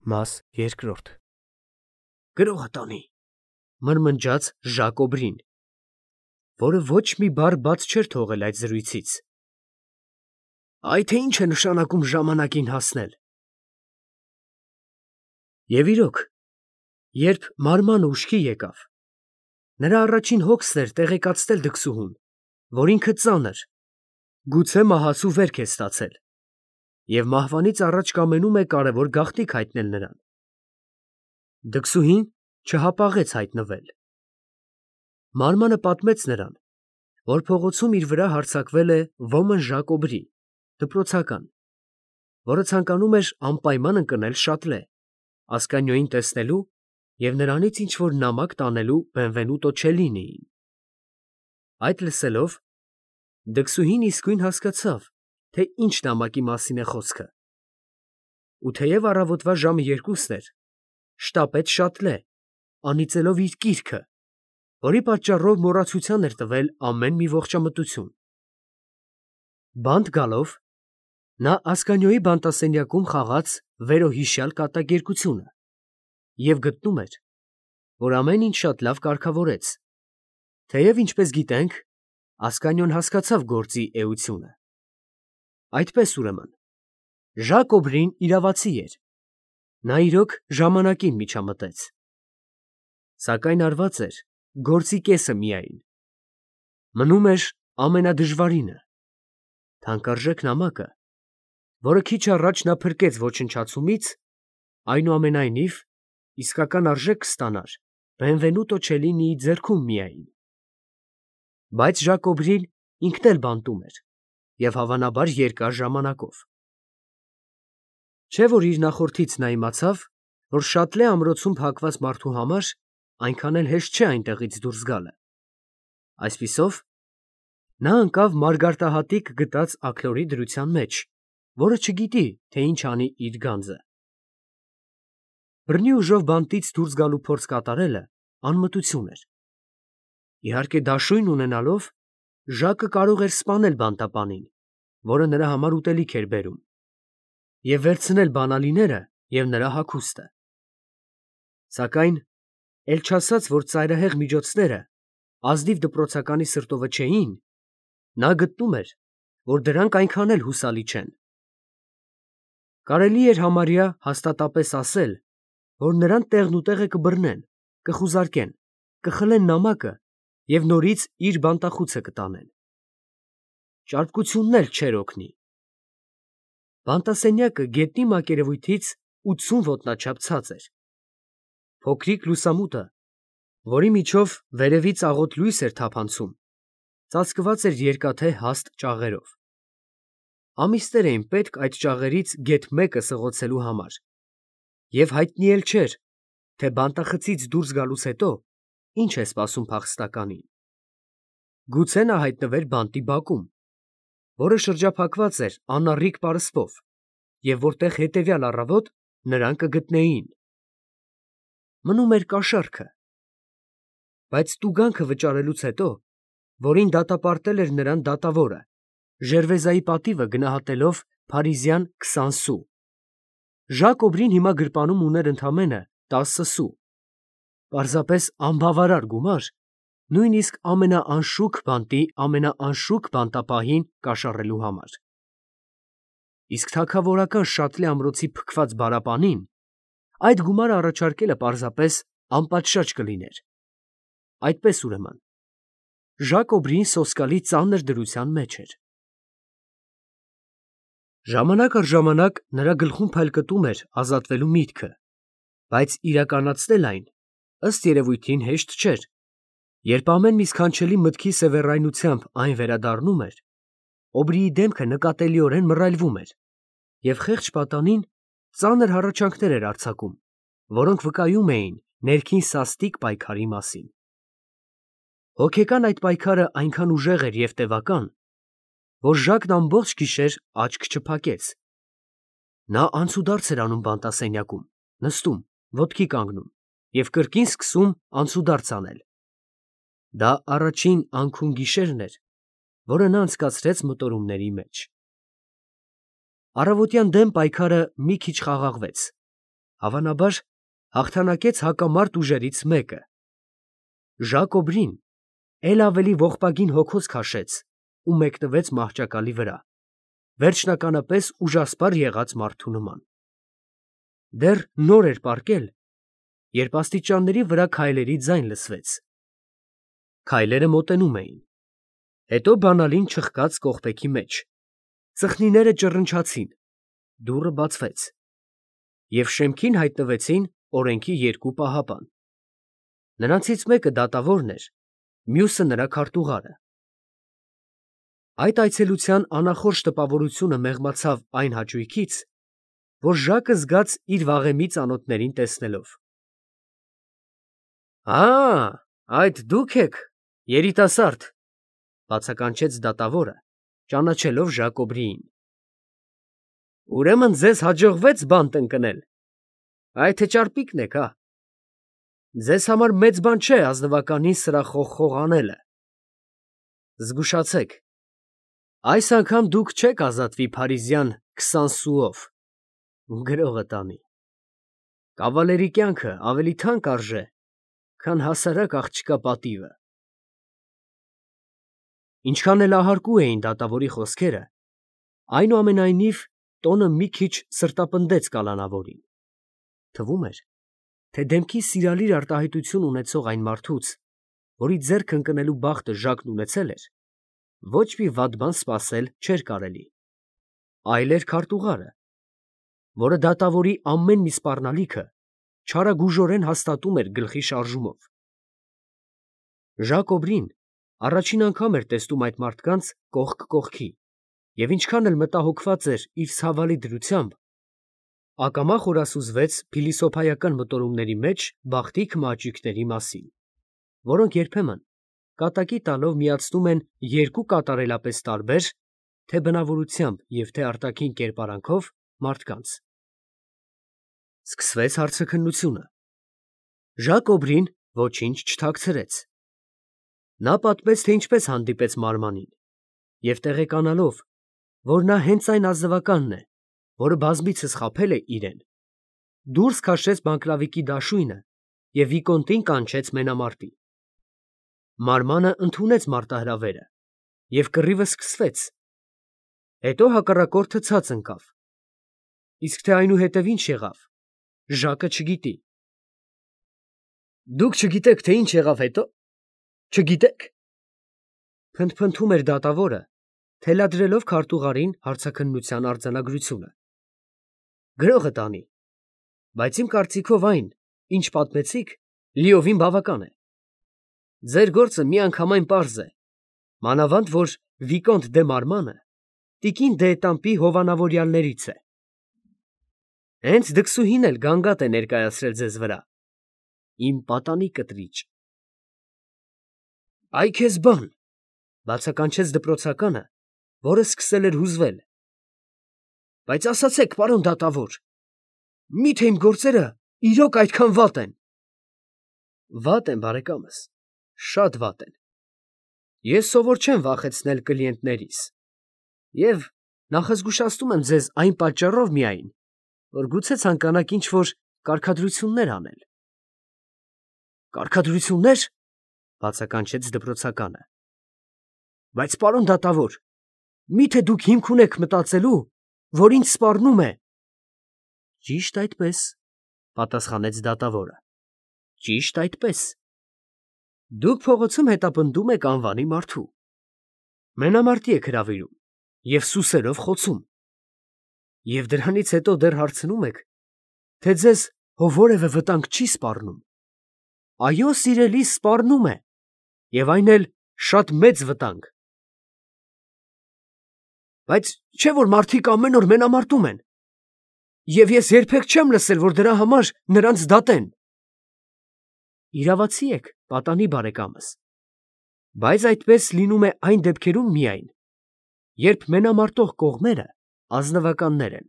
Մաս երկրորդ Գրողը տանի, մրմնջաց Ժակոբրին, որը ոչ մի բառ բաց չէր թողել այդ զրույցից։ Այ թե ինչ է նշանակում ժամանակին հասնել։ Եվ իրոք, երբ մարմանը ուշքի եկավ, նրա առաջին հոգսն էր տեղեկացնել դքսուհուն, որ ինքը ծանր, գուցե մահացու վերք է ստացել, և մահվանից առաջ կամենում է կարևոր գաղտնիք հայտնել նրան։ Դքսուհին չհապաղեց հայտնվել։ Մարմանը պատմեց նրան, որ փողոցում իր վրա հարձակվել է ոմն Ժակոբրի, դպրոցական, որը ցանկանում էր անպայման ընկնել Շատլե, Ասկանյոյին տեսնելու և նրանից ինչ-որ նամակ տանելու Բենվենուտո Չելլինիին։ Այդ լսելով, դքսուհին իսկույն հասկացավ, թե ինչ նամակի մասին է խոսքը։ Ու թեև առավոտվա ժամը 2-ն էր, շտապեց Շատլե, անիծելով իր կիրքը, որի պատճառով մոռացության էր տվել ամեն մի ողջամտություն։ Բանտ գալով, նա Ասկանյոյի բանտասենյակում խաղաց վերոհիշյալ կատակերգությունը և գտնում էր, որ ամեն ինչ շատ լավ կարգավորեց, թեև, ինչպես գիտենք, Ասկանյոն հասկացավ գործի էությունը։ Այդպես ուրեմն, Ժակոբրին իրավացի էր, նա իրոք ժամանակին միջամտեց, սակայն արված էր գործի կեսը միայն, մնում էր ամենադժվարինը, թանկարժեք նամակը, որը քիչ առաջ նա փրկեց ոչնչացումից, այնուամենայնիվ իսկական արժեք կստանար Բենվենուտո Չելլինիի ձեռքում միայն։ Բայց Ժակոբրին ինքն էլ բանտում էր և հավանաբար երկար ժամանակով։ Չէ՞ որ իր նախորդից նա իմացավ, որ Շատլե ամրոցում փակված մարդու համար այնքան էլ հեշտ չէ այնտեղից դուրս գալը։ Այսպիսով, նա ընկավ մարգարտահատիկ գտած աքլորի դրության մեջ, որը չգիտի, թե ինչ անի իր գանձը։ Բռնի ուժով բանտից դուրս գալու փորձ կատարելը անմտություն էր։ Իհարկե դաշույն ունենալով, Ժակը կարող էր սպանել բանտապանին, որը նրա համար ուտելիք էր բերում, և վերցնել բանալիները և նրա հագուստը։ Սակայն, էլ չասած, որ ծայրահեղ միջոցները ազնիվ դպրոցականի սրտովը չէին, նա գտնում էր, որ դրանք այնքան էլ հուսալի չեն։ Կարելի էր համարյա հաստատապես ասել, որ նրան տեղնուտեղը կբռնեն, կխուզարկեն, կխլեն նամակը և նորից իր բանտախուցը կտանեն։ Ճարպկությունն էլ չէր օգնի։ Բանտասենյակը գետնի մակերևույթից 80 ոտնաչափ ցած էր։ Փոքրիկ լուսամուտը, որի միջով վերևից աղոտ լույս էր թափանցում, ծածկված էր երկաթե հաստ ճաղերով։ Ամիսներ էին պետք այդ ճաղերից գեթ մեկը սղոցելու համար, և հայտնի էլ չէր, թե բանտախցից դուրս գալուց հետո ինչ է սպասում փախստականին։ Գուցե նա հայտնվեր բանտի բակում, որը շրջափակված էր անառիկ պարսպով, և որտեղ հետևյալ առավոտ նրան կգտնեին։ Մնում էր կաշառքը։ Բայց տուգանքը վճարելուց հետո, որին դատապարտել էր նրան դատավորը, Ժերվեզայի պատիվը գնահատելով փարիզյան 20 սու, Ժակոբրին հիմա գրպանում ուներ ընդամենը 10 սու, պարզապես անբավարար գումար, նույնիսկ ամենաանշուք բանտի ամենաանշուք բանտապահին կաշառելու համար։ Իսկ թագավորական Շատլե ամրոցի փքված բարապանին այդ գումարը առաջարկելը պարզապես անպատշաճ կլիներ։ Այդպես ուրեմն, Ժակոբրին սոսկալի ծանր դրության մեջ էր։ Ժամանակ առ ժամանակ նրա գլխում փայլկտում էր ազատվելու միտքը, բայց իրականացնել այն, ըստ երևույթին, հեշտ չէր, երբ ամեն մի սքանչելի մտքի սևեռայնությամբ այն վերադառնում էր, Օբրիի դեմքը նկատելիորեն մռայլվում էր, և խեղճ պատանին ծանր հառաչանքներ էր արձակում, որոնք վկայում էին ներքին սաստիկ պայքարի մասին։ Հոգեկան այդ պայքարը այնքան ուժեղ էր և տևական, որ Ժակն ամբողջ գիշեր աչք չփակեց։ Նա անցուդարձ էր անում բանտասենյակում, նստում, ոտքի կանգնում և կրկին սկսում անցուդարձ անել։ Դա առաջին անքուն գիշերն էր, որը նա անցկացրեց մտորումների մեջ։ Առավոտյան դեմ պայքարը մի քիչ խաղաղվեց, Հավանաբար հաղթանակեց հակամարտ ուժերից մեկը։ Ժակոբրին էլ ավելի ողբագին հոգոց քաշեց ու մեկնվեց մահճակալի վրա, վերջնականապես ուժասպառ եղած մարդու նման։ Դեռ նոր էր պառկել, երբ աստիճանների վրա քայլերի ձայն լսվեց։ Քայլերը մոտենում էին, հետո բանալին չխկաց կողպեքի մեջ, ծխնիները ճռնչացին, դուռը բացվեց, և շեմքին հայտնվեցին օրենքի երկու պահապան։ Նրանցից մեկը դատավորն էր, մյուսը նրա քարտուղարը։ Այդ այցելության անախորժ տպավորությունը մեղմացավ այն հաճույքից, որ Ժակը զգաց իր վաղեմի ծանոթներին տեսնելով։ Այդ դուք եք, երիտասարդ, բացականչեց դատավորը, ճանաչելով Ժակոբրիին։ Ուրեմն ձեզ հաջողվեց բան տնկնել, այդ թե ճարպիկն եք, հա։ Ձեզ համար մեծ բան չէ ազնվականին սրախողխող անելը։ Զգուշացեք, այս անգամ դուք չեք ազատվի փարիզյան 20 սուով, գրողը տանի։ Կավալերի կյանքը ավելի թանկ արժե, քան հասարակ աղջկա պատիվը։ Ինչքան էլ ահարկու էին դատավորի խոսքերը, այնուամենայնիվ տոնը մի քիչ սրտապնդեց կալանավորին։ Թվում էր, թե դեմքի սիրալիր արտահայտություն ունեցող այն մարդուց, որի ձեռք ընկնելու բախտը Ժակն ունեցել էր, ոչ մի վատ բան սպասել չէր կարելի։ Այլ էր քարտուղարը, որը դատավորի ամեն մի սպառնալիքը չարագուժորեն հաստատում էր գլխի շարժումով։ Ժակոբրին առաջին անգամ էր տեսնում այդ մարդկանց կողք կողքի, և ինչքան էլ մտահոգված էր իր ցավալի դրությամբ, ակամա խորասուզվեց փիլիսոփայական մտորումների մեջ բախտի քմահաճույքների մասին, որոնք երբեմն կատակի տալով միացնում են երկու կատարելապես տարբեր, թե բնավորությամբ և թե արտաքին կերպարանքով մարդկանց։ Սկսվեց հարցաքննությունը։ Ժակոբրին ոչինչ չթաքցրեց։ Նա պատմեց, թե ինչպես հանդիպեց մարմանին, և տեղեկանալով, որ նա հենց այն ազնվականն է, որը բազմիցս խաբել է իրեն, դուրս քաշեց բանկլավիկի դաշույնը և վիկոնտին կանչեց մենամարտի։ Մարմանը ընդունեց մարտահրավերը, և կռիվը սկսվեց։ Հետո հակառակորդը ցած ընկավ։ Իսկ թե այնուհետև ինչ եղավ, Ժակը չգիտի։ Դուք չգիտեք, թե ինչ եղավ հետո։ Չգիտեք, փնթփնթում էր դատավորը, թելադրելով քարտուղարին հարցաքննության արձանագրությունը։ Գրողը տանի, բայց իմ կարծիքով այն, ինչ պատմեցիք, լիովին բավական է։ Ձեր գործը միանգամայն պարզ է, մանավանդ որ Վիկոնտ դե Մարմանը տիկին դե հովանավորյալներից է։ Հենց դքսուհին էլ գանգատ է ներկայացրել ձեզ վրա։ Իմ պատանի կտրիճ։ Այ քեզ բան, բացականչեց դպրոցականը, որը սկսել էր հուզվել։ Բայց ասացեք, պարոն դատավոր, միթե իմ գործերը իրոք այդքան վատ են։ Վատ են, բարեկամս, շատ վատ են։ Ես սովոր չեմ վախեցնել կլիենտներիս, և նախազգուշացնում եմ ձեզ այն պատճառով միայն, որ գուցե ցանկանաք ինչ-որ կարգադրություններ անել։ Կարգադրություննե՞ր, բացականչեց դպրոցականը։ Բայց պարոն դատավոր, միթե դուք հիմք ունեք մտածելու, որ ինձ սպառնում է։ Ճիշտ այդպես, պատասխանեց դատավորը։ Ճիշտ այդպես։ Դուք փողոցում հետապնդում եք անվանի մարդու, մենամարտի եք հրավիրում և սուսերով խոցում, և դրանից հետո դեռ հարցնում եք, թե ձեզ որևէ վտանգ չի սպառնում։ Այո, սիրելիս, սպառնում է, և այն էլ շատ մեծ վտանգ։ Բայց չէ՞ որ մարդիկ ամեն օր մենամարտում են, և ես երբեք չեմ լսել, որ դրա համար նրանց դատեն։ Իրավացի եք, պատանի բարեկամս, բայց այդպես լինում է այն դեպքերում միայն, երբ մենամարտող կողմերը ազնվականներ են։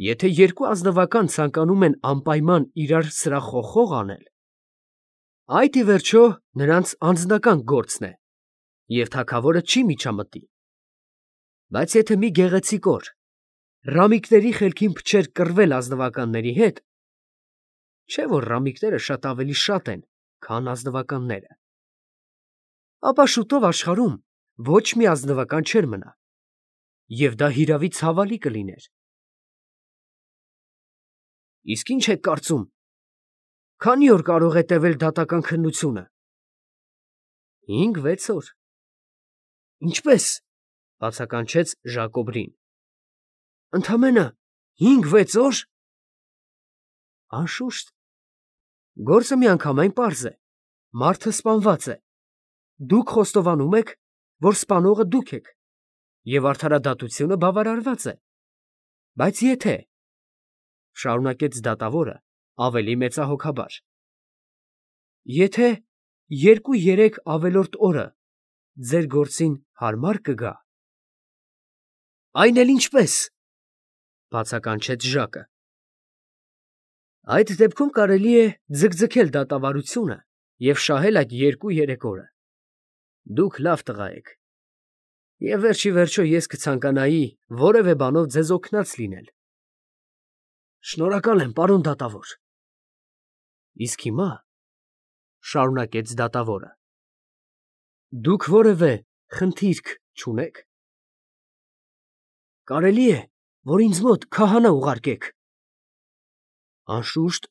Եթե երկու ազնվական ցանկանում են անպայման իրար սրախողխող անել, այդ ի վերջո նրանց անձնական գործն է, և թագավորը չի միջամտի։ Բայց եթե մի գեղեցիկ օր Ռամիկների խելքին փչեր կռվել ազնվականների հետ, չէ՞ որ ռամիկները շատ ավելի շատ են, քան ազնվականները, ապա շուտով աշխարհում ոչ մի ազնվական չէր մնա, և դա հիրավի ցավալի կլիներ։ Իսկ ինչ եք կարծում, քանի՞ օր կարող է տևել դատական քննությունը։ 5-6 օր։ Ինչպե՞ս, բացականչեց Ժակոբրին։ Ընդամենը 5-6 օր։ Անշուշտ, գործը միանգամայն պարզ է, մարդը սպանված է, դուք խոստովանում եք, որ սպանողը դուք եք, և արդարադատությունը բավարարված է, բայց եթե, շարունակեց դատավորը ավելի մեծահոգաբար, եթե 2-3 ավելորդ օրը ձեր գործին հարմար կգա։ Այն էլ ինչպես, բացականչեց Ժակը։ Այդ դեպքում կարելի է ձգձգել դատավարությունը և շահել այդ 2-3 օրը։ Դուք լավ տղա եք, և վերջիվերջո ես կցանկանայի որևէ բանով ձեզ օգնած լինել։ Շնորհակալ եմ, պարոն դատավոր։ Իսկ հիմա, շարունակեց դատավորը, դուք որևէ խնդիրք չունե՞ք։ Կարելի է, որ ինձ մոտ քահանա ուղարկեք։ Անշուշտ,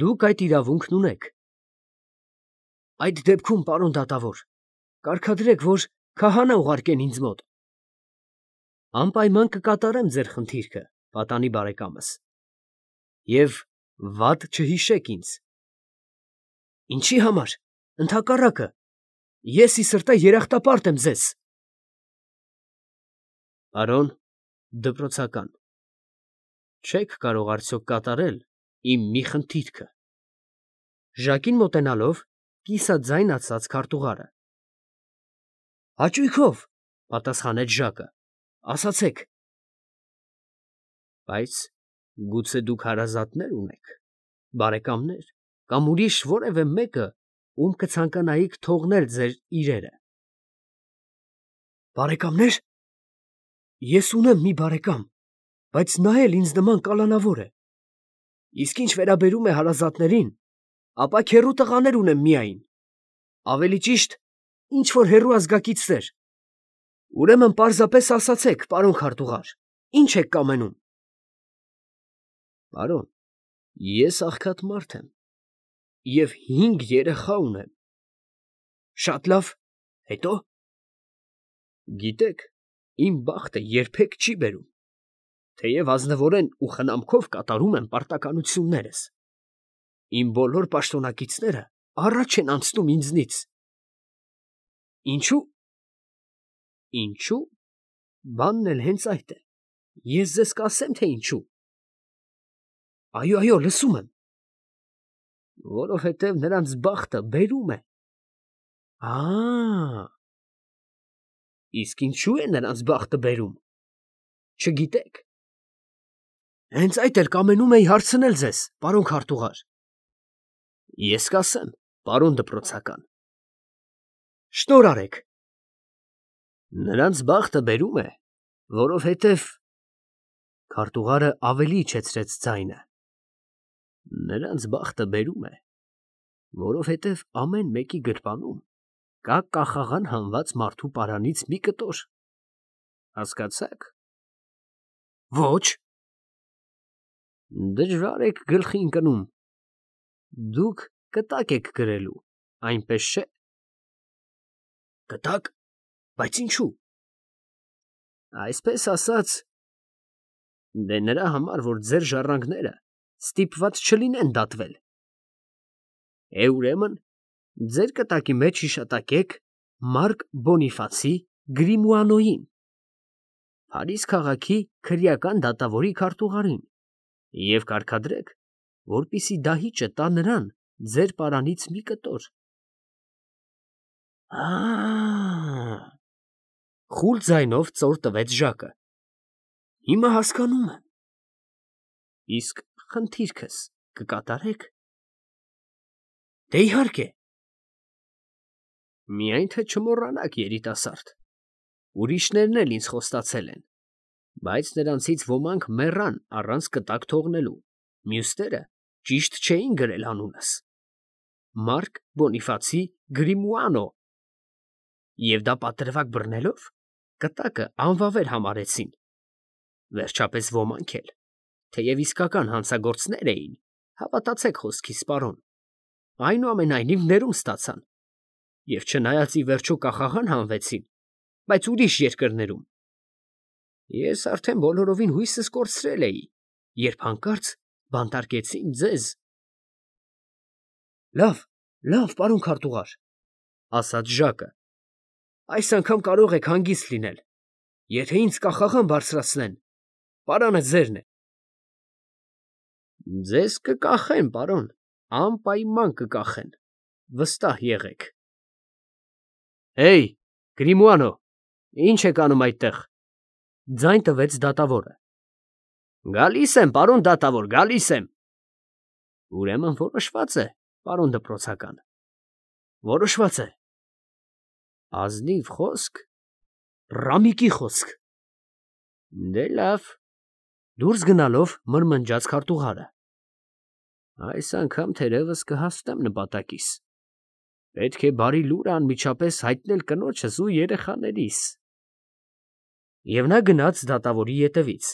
դուք այդ իրավունքն ունեք։ Այդ դեպքում, պարոն դատավոր, կարգադրեք, որ քահանա ուղարկեն ինձ մոտ։ Անպայման կկատարեմ ձեր խնդիրքը, պատանի բարեկամս, և վատ չհիշեք ինձ։ Ինչի համար, ընդհակառակը, ես ի սրտե երախտապարտ եմ ձեզ։ Պարոն դպրոցական, չեք կարող արդյոք կատարել իմ մի խնդիրքը։ Ժակին մոտենալով, կիսաձայն ասաց քարտուղարը։ Հաճույքով, պատասխանեց Ժակը, ասացեք։ Բայց գուցե դուք հարազատներ ունեք, բարեկամներ, կամ ուրիշ որևէ մեկը, ում կցանկանայիք թողնել ձեր իրերը։ Բարեկամներ։ Ես ունեմ մի բարեկամ, բայց նա էլ ինձ նման կալանավոր է։ Իսկ ինչ վերաբերում է հարազատներին, ապա քեռու տղաներ ունեմ միայն, ավելի ճիշտ, ինչ որ հեռու ազգակիցներ։ Ուրեմն պարզապես ասացեք, պարոն քարտուղար, ինչ եք կամենում։ Պարոն, ես աղքատ մարդ եմ և 5 երեխա ունեմ։ Շատ լավ, հետո։ Գիտեք, իմ բախտը երբեք չի բերում, թեև ազնվորեն ու խնամքով կատարում եմ պարտականություններս։ Իմ բոլոր պաշտոնակիցները առաջ են անցնում ինձնից։ Ինչո՞ւ։ Ինչո՞ւ։ Բանն էլ հենց այդ է։ Ես ձեզ կասեմ, թե ինչու։ Այո, լսում եմ։ Որովհետև նրանց բախտը բերում է։ Իսկ ինչու է նրանց բախտը բերում։ Չգիտեք։ Հենց այդ էլ կամենում էի հարցնել ձեզ, պարոն քարտուղար։ Ես կասեմ, պարոն դպրոցական։ Շնորհ արեք։ Նրանց բախտը բերում է, որովհետև… Քարտուղարը ավելի իջեցրեց ձայնը։ Նրանց բախտը բերում է, որովհետև ամեն մեկի գրպանում կա կախաղան հանված մարդու պարանից մի կտոր։ Հասկացա՞ք։ Ոչ։ Դժվար եք գլխի ընկնում։ Դուք կտակ եք գրելու, այնպես չէ։ Կտակ, բայց ինչու։ Այսպես ասած, դե նրա համար, որ ձեր ժառանգները ստիպված չլինեն դատվել։ Ուրեմն, ձեր կտակի մեջ հիշատակեք Մարկ Բոնիֆացի Գրիմուանոյին, Փարիզ քաղաքի քրեական դատավորի քարտուղարին, և կարգադրեք, որպեսզի դահիճը տա նրան ձեր պարանից մի կտոր։ Խուլ ձայնով ծոր տվեց Ժակը։ Հիմա հասկանում եմ։ Իսկ խնդիրքս կկատարեք։ Դե իհարկե։ Միայն թե չմոռանաք, երիտասարդ, ուրիշներն էլ ինձ խոստացել են, Բայց նրանցից ոմանք մեռան առանց կտակ թողնելու, մյուսները ճիշտ չէին գրել անունս. Մարկ Բոնիֆացի Գրիմուանո։ Եվ դա պատրվակ բռնելով կտակը անվավեր համարեցին։ Վերջապես ոմանք էլ, թեև իսկական հանցագործներ էին, հավատացեք խոսքիս, պարոն, այնուամենայնիվ ներում ստացան, և չնայած ի վերջո կախաղան հանվեցին, բայց ուրիշ երկրներում։ Ես արդեն բոլորովին հույսս կորցրել էի, երբ հանկարծ բանտարկեցին ձեզ։ Լավ, պարոն քարտուղար, ասաց Ժակը, այս անգամ կարող եք հանգիստ լինել, եթե ինձ կախաղան բարձրացնեն, պարանը ձերն է։ Ձեզ կկախեն, պարոն, անպայման կկախեն, վստահ եղեք։ Հեյ, Գրիմուանո, ինչ եք անում այդտեղ, ձայն տվեց դատավորը։ Գալիս եմ, պարոն դատավոր, գալիս եմ։ Ուրեմն որոշված է, պարոն դպրոցական։ Որոշված է։ Ազնիվ խոսք, ռամիկի խոսք։ Դե լավ, դուրս գնալով մրմնջաց քարտուղարը։ Այս անգամ թերևս կհասնեմ նպատակիս։ Պետք է բարի լուրը անմիջապես հայտնել կնոջս ու երեխաներիս։ Եվ նա գնաց դատավորի ետևից,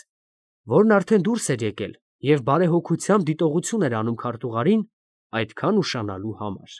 որն արդեն դուրս էր եկել և բարեհոգությամբ դիտողություն էր անում քարտուղարին այդքան ուշանալու համար։